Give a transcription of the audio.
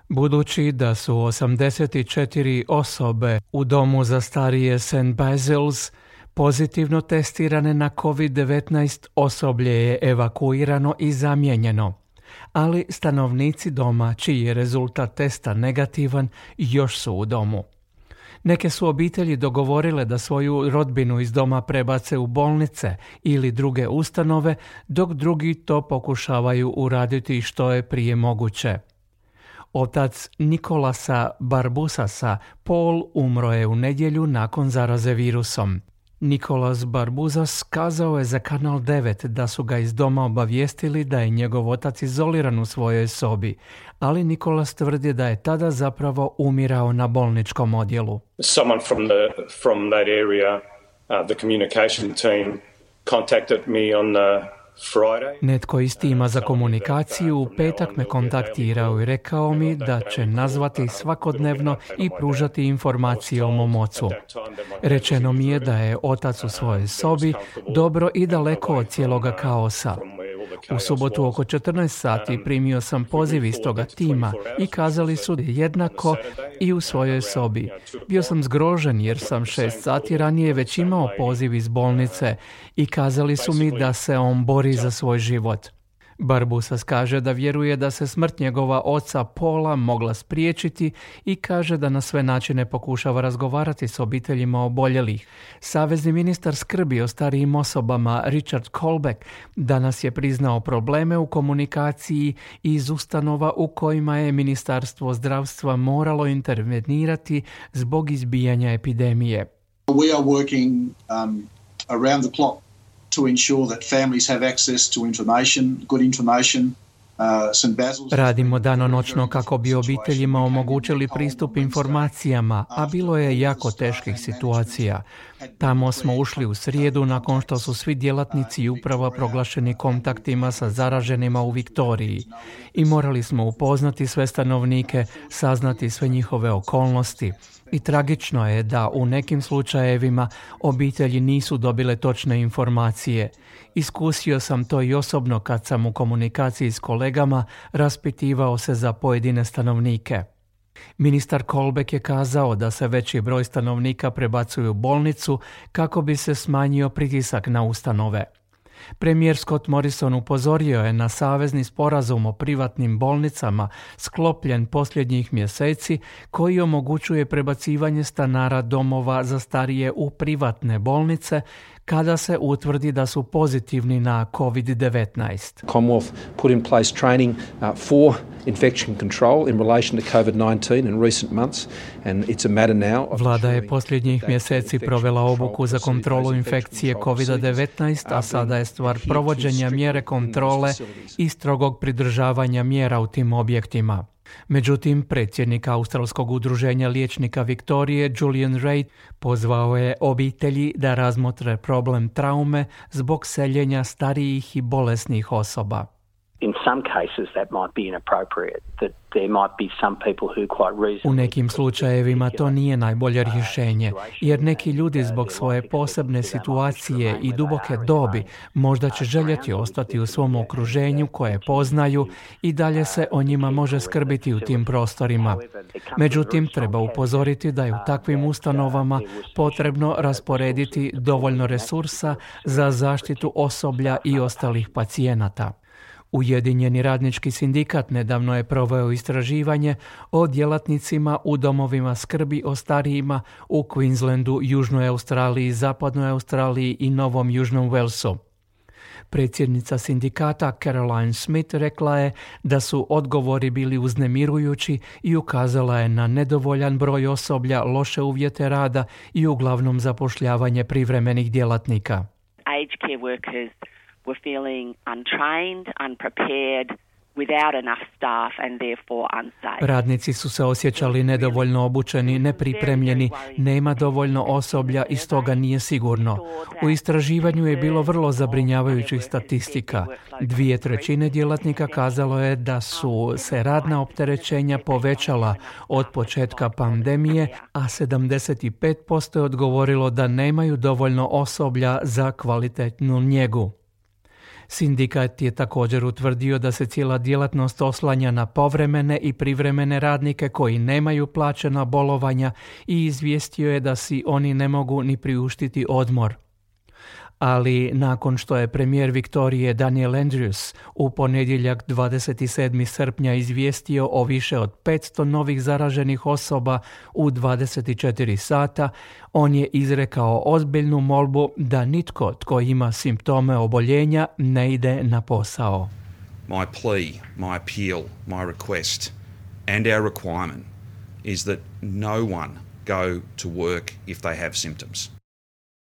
Budući da su 84 osobe u domu za starije St. Basil's pozitivno testirane na COVID-19, osoblje je evakuirano i zamijenjeno, ali stanovnici doma čiji je rezultat testa negativan još su u domu. Neke su obitelji dogovorile da svoju rodbinu iz doma prebace u bolnice ili druge ustanove, dok drugi to pokušavaju uraditi što je prije moguće. Otac Nikolasa Barbusasa, Paul, umro je u nedjelju nakon zaraze virusom. Nikolas Barbusas kazao je za Kanal 9 da su ga iz doma obavijestili da je njegov otac izoliran u svojoj sobi, ali Nikolas tvrdi da je tada zapravo umirao na bolničkom odjelu. Someone from that area, the communication team contacted me on Friday. Netko iz tima za komunikaciju u petak me kontaktirao i rekao mi da će nazvati svakodnevno i pružati informacije o mom ocu. Rečeno mi je da je otac u svojoj sobi, dobro i daleko od cijeloga kaosa. U subotu oko 14 sati primio sam poziv iz toga tima i kazali su jednako i u svojoj sobi. Bio sam zgrožen jer sam 6 sati ranije već imao poziv iz bolnice i kazali su mi da se on bori za svoj život. Barbusas kaže da vjeruje da se smrt njegova oca Paula mogla spriječiti i kaže da na sve načine pokušava razgovarati s obiteljima oboljelih. Savezni ministar skrbi o starijim osobama Richard Colbeck danas je priznao probleme u komunikaciji iz ustanova u kojima je Ministarstvo zdravstva moralo intervenirati zbog izbijanja epidemije. We are working around the clock to ensure that families have access to information, good information. Radimo danonoćno kako bi obiteljima omogućili pristup informacijama, a bilo je jako teških situacija. Tamo smo ušli u srijedu nakon što su svi djelatnici i uprava proglašeni kontaktima sa zaraženima u Viktoriji i morali smo upoznati sve stanovnike, saznati sve njihove okolnosti. I tragično je da u nekim slučajevima obitelji nisu dobile točne informacije. Iskusio sam to i osobno kad sam u komunikaciji s kolegama raspitivao se za pojedine stanovnike. Ministar Colbeck je kazao da se veći broj stanovnika prebacuju u bolnicu kako bi se smanjio pritisak na ustanove. Premijer Scott Morrison upozorio je na savezni sporazum o privatnim bolnicama sklopljen posljednjih mjeseci koji omogućuje prebacivanje stanara domova za starije u privatne bolnice kada se utvrdi da su pozitivni na COVID-19. Commonwealth put in place training for infection control in relation to COVID-19 in recent months, and it's a matter now. Vlada je posljednjih mjeseci provela obuku za kontrolu infekcije COVID-19, a sada je stvar provođenja mjere kontrole i strogog pridržavanja mjera u tim objektima. Međutim, predsjednik Australskog udruženja liječnika Viktorije, Julian Reid, pozvao je obitelji da razmotre problem traume zbog seljenja starijih i bolesnih osoba. U nekim slučajevima to nije najbolje rješenje, jer neki ljudi zbog svoje posebne situacije i duboke dobi možda će željeti ostati u svom okruženju koje poznaju i dalje se o njima može skrbiti u tim prostorima. Međutim, treba upozoriti da je u takvim ustanovama potrebno rasporediti dovoljno resursa za zaštitu osoblja i ostalih pacijenata. Ujedinjeni radnički sindikat nedavno je proveo istraživanje o djelatnicima u domovima skrbi o starijima u Queenslandu, Južnoj Australiji, Zapadnoj Australiji i Novom Južnom Walesu. Predsjednica sindikata Caroline Smith rekla je da su odgovori bili uznemirujući i ukazala je na nedovoljan broj osoblja, loše uvjete rada i uglavnom zapošljavanje privremenih djelatnika. Aged care workers were feeling untrained, unprepared, without enough staff and therefore unsafe. Radnici su se osjećali nedovoljno obučeni, nepripremljeni, nema dovoljno osoblja i stoga nije sigurno. U istraživanju je bilo vrlo zabrinjavajućih statistika. 2/3 djelatnika kazalo je da su se radna opterećenja povećala od početka pandemije, a 75% je odgovorilo da nemaju dovoljno osoblja za kvalitetnu njegu. Sindikat je također utvrdio da se cijela djelatnost oslanja na povremene i privremene radnike koji nemaju plaćena bolovanja i izvijestio je da si oni ne mogu ni priuštiti odmor. Ali nakon što je premijer Viktorije Daniel Andrews u ponedjeljak 27. srpnja izvijestio o više od 500 novih zaraženih osoba u 24 sata, on je izrekao ozbiljnu molbu da nitko tko ima simptome oboljenja ne ide na posao. My plea, my appeal, my request and our requirement is that no one go to work if they have symptoms.